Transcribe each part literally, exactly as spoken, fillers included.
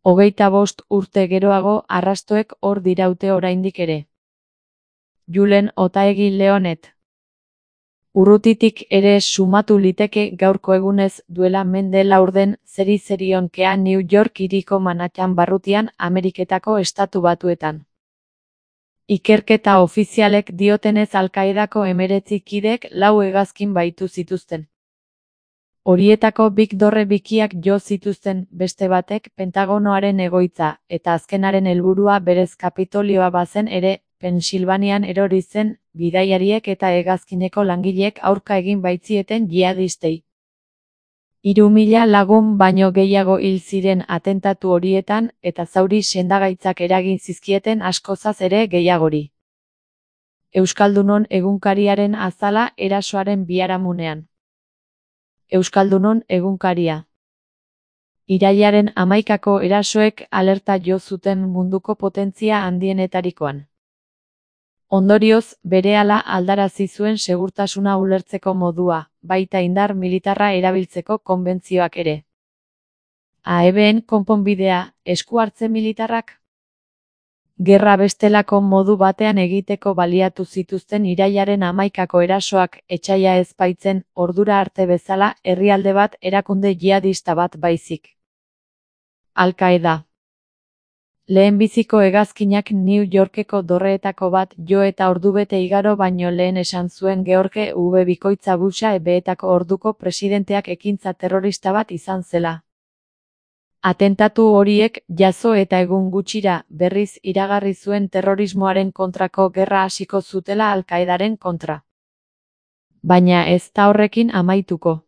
Hogeita bost urte geroago arrastoek hor diraute oraindik ere. Julen Otaegi Leonet. Urrutitik ere sumatu liteke gaurko egunez duela mende laurden zeri zerionkea New York hiriko Manhattan barrutian Ameriketako Estatu Batuetan. Ikerketa ofizialek diotenez Al-Qaedako hemeretzi kidek lau hegazkin baitu zituzten. Horietako bik dorre bikiak jo zituzten, beste batek Pentagonoaren egoitza, eta azkenaren helburua berez Kapitolioa bazen ere, Pensilvanian erori zen, bidaiariek eta hegazkineko langileek aurka egin baitzieten jihadistei. Hiru mila lagun baino gehiago hil ziren atentatu horietan, eta zauri sendagaitzak eragin zizkieten askozaz ere gehiagori. Euskaldunon egunkariaren azala erasoaren biharamunean. Euskaldunon egunkaria. Irailaren hamaikako erasoek alerta jo zuten munduko potentzia handienetarikoan. Ondorioz, berehala aldarazi zuen segurtasuna ulertzeko modua, baita indar militarra erabiltzeko konbentzioak ere. A E Bn konponbidea, esku hartze militarrak? Gerra bestelako modu batean egiteko baliatu zituzten irailaren hamaikako erasoak etsaia ez baitzen, ordura arte bezala, herrialde bat erakunde jihadista bat baizik. Al-Qaeda. Lehenbiziko hegazkinak New Yorkeko dorreetako bat jo eta ordubete igaro baino lehen esan zuen George W. Bikoitza Busha ebeetako orduko presidenteak ekintza terrorista bat izan zela. Atentatu horiek jazo eta egun gutxira berriz iragarri zuen terrorismoaren kontrako gerra hasiko zutela Al-Qaedaren kontra. Baina ez da horrekin amaituko.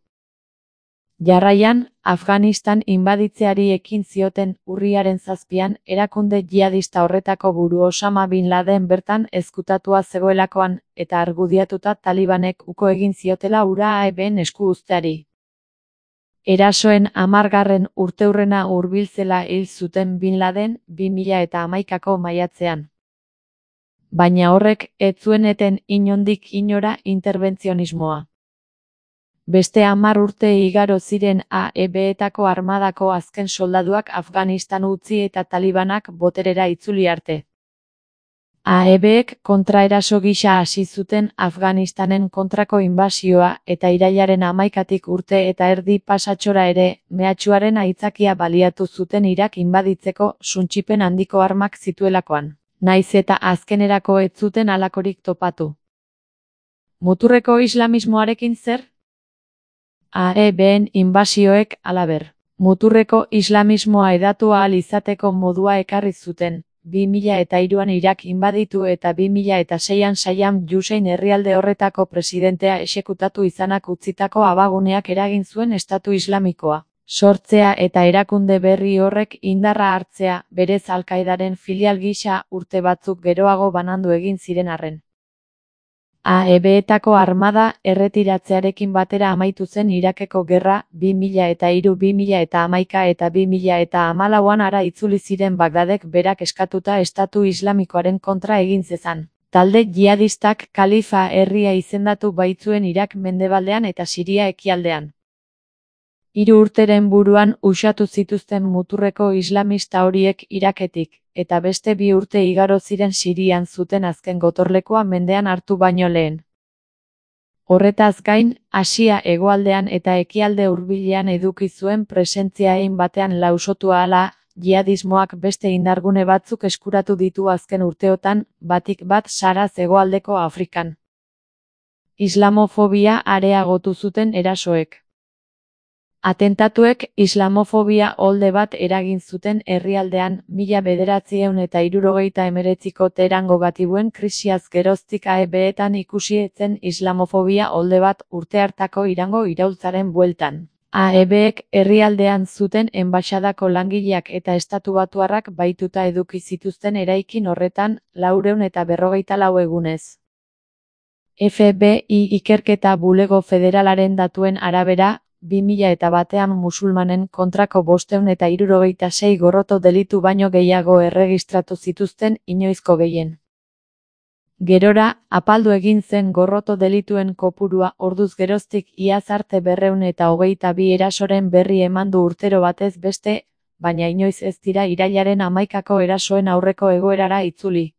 Jarraian, Afganistan inbaditzeari ekin zioten urriaren zazpian, erakunde jihadista horretako buru Osama Bin Laden bertan ezkutatua zegoelakoan, eta argudiatuta Talibanek uko egin ziotela hura A E Bn esku uzteari. Erasoen hamargarren urteurrena hurbiltzela hil zuten Bin Laden bi mila eta hamaikako maiatzean. Baina horrek ez zuen eten inondik inora interbentzionismoa. Beste hamar urte igaro ziren A E Betako armadako azken soldaduak Afganistan utzi eta Talibanak boterera itzuli arte. A E Bek kontraeraso gisa hasi zuten Afganistanen kontrako inbasioa eta irailaren hamaikatik urte eta erdi pasatxora ere, mehatxuaren aitzakia baliatu zuten Irak inbaditzeko suntsipen handiko armak zituelakoan, naiz eta azkenerako ez zuten halakorik topatu. Muturreko islamismoarekin zer? A E Bn inbasioek, halaber, muturreko islamismoa hedatu ahal izateko modua ekarri zuten, bi mila eta hiruan Irak inbaditu eta bi mila eta seian Saddam Hussein herrialde horretako presidentea exekutatu izanak utzitako abaguneak eragin zuen Estatu Islamikoa. Sortzea eta erakunde berri horrek indarra hartzea, berez Al-Qaedaren filial gisa urte batzuk geroago banandu egin ziren arren. A E Betako armada erretiratzearekin batera amaitu zen Irakeko gerra, bi mila eta hiru bi mila eta hamaika eta bi mila eta hamalauan ara itzuli ziren Bagdadek berak eskatuta Estatu Islamikoaren kontra egin zezan. Talde jihadistak kalifa herria izendatu baitzuen Irak mendebaldean eta Siria ekialdean. Hiru urteren buruan usatu zituzten muturreko islamista horiek Iraketik, eta beste bi urte igaro ziren Sirian zuten azken gotorlekua mendean hartu baino lehen. Horretaz gain, Asia hegoaldean eta ekialde hurbilean eduki zuen presentzia hein batean lausotu ahala, jihadismoak beste indargune batzuk eskuratu ditu azken urteotan, batik bat Saharaz hegoaldeko Afrikan. Islamofobia areagotu zuten erasoek. Atentatuek islamofobia olde bat eragin zuten herrialdean mila bederatziehun eta hirurogeita hemeretziko Teherango gatibuen krisiaz geroztik A E Betan ikusi etzen islamofobia olde bat urte hartako Irango iraultzaren bueltan. A E Bek herrialdean zuten enbaxadako langileak eta estatubatuarrak baituta eduki zituzten eraikin horretan laurehun eta berrogeita lau egunez. F B I ikerketa bulego federalaren datuen arabera, bi mila eta batean musulmanen kontrako bostehun eta hirurogeita sei gorroto delitu baino gehiago erregistratu zituzten inoizko gehien. Gerora, apaldu egin zen gorroto delituen kopurua orduz geroztik iaz arte berrehun eta hogeita bi erasoren berri eman du urtero batez beste, baina inoiz ez dira irailaren hamaikako erasoen aurreko egoerara itzuli.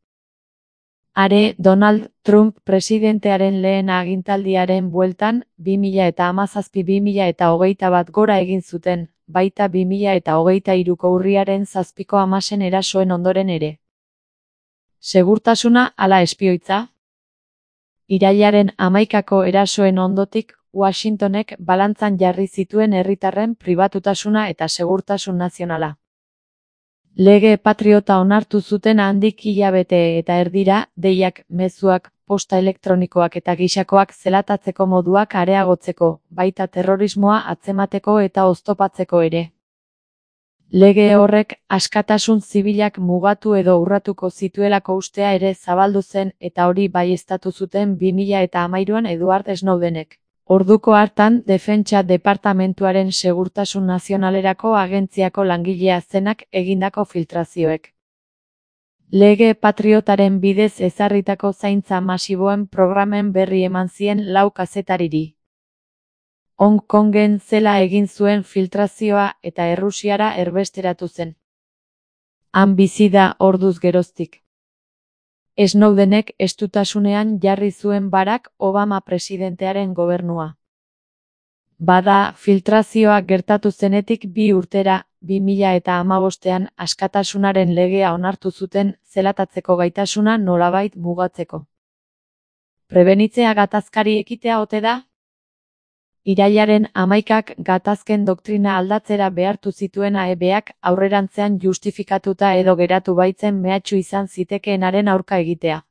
Are, Donald Trump presidentearen lehen agintaldiaren bueltan, bi mila hamazazpi bi mila hogeita bat gora egin zuten, baita bi mila hogeita hiruko urriaren zazpiko hamasen erasoen ondoren ere. Segurtasuna ala espioitza? Irailaren hamaikako erasoen ondotik, Washingtonek balantzan jarri zituen herritarren pribatutasuna eta segurtasun nazionala. Lege patriota onartu zuten handik hilabete eta erdira, deiak, mezuak, posta elektronikoak eta gisakoak zelatatzeko moduak areagotzeko, baita terrorismoa atzemateko eta oztopatzeko ere. Lege horrek askatasun zibilak mugatu edo urratuko zituelako ustea ere zabaldu zen eta hori baieztatu zuten bi mila hamairuan Edward Snowdenek. Orduko hartan Defentsa Departamentuaren Segurtasun Nazionalerako agentziako langilea zenak egindako filtrazioek. Lege patriotaren bidez ezarritako zaintza masiboen programen berri eman zien lau kazetariri. Hong Kongen zela egin zuen filtrazioa eta Errusiara erbesteratu zen. Han bizi da orduz geroztik. Snowdenek estutasunean jarri zuen Barack Obama presidentearen gobernua. Bada, filtrazioa gertatu zenetik bi urtera, bi mila hamabostean askatasunaren legea onartu zuten zelatatzeko gaitasuna nolabait mugatzeko. Prebenitzea gatazkari ekitea ote da? Irailaren hamaikak gatazken doktrina aldatzera behartu zituen A E Bak aurrerantzean justifikatuta edo geratu baitzen mehatxu izan zitekeenaren aurka egitea.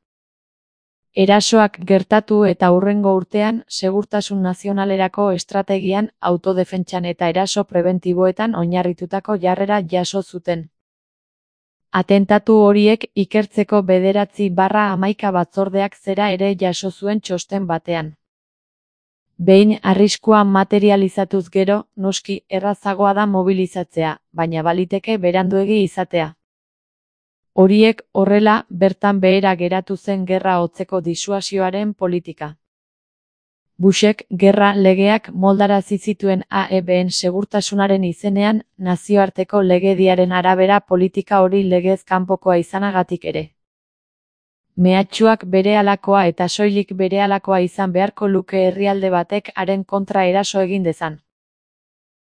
Erasoak gertatu eta hurrengo urtean, segurtasun nazionalerako estrategian, autodefentsan eta eraso prebentiboetan oinarritutako jarrera jaso zuten. Atentatu horiek ikertzeko bederatzi barra hamaika batzordeak zera ere jaso zuen txosten batean. Behin arriskua materializatuz gero, noski errazagoa da mobilizatzea, baina baliteke beranduegi izatea. Horiek horrela, bertan behera geratu zen gerra hotzeko disuasioaren politika. Bushek gerra legeak moldarazi zituen A E Bn segurtasunaren izenean, nazioarteko legediaren arabera politika hori legez kanpokoa izanagatik ere. Mehatxuak berehalakoa eta soilik berehalakoa izan beharko luke herrialde batek haren kontra eraso egin dezan.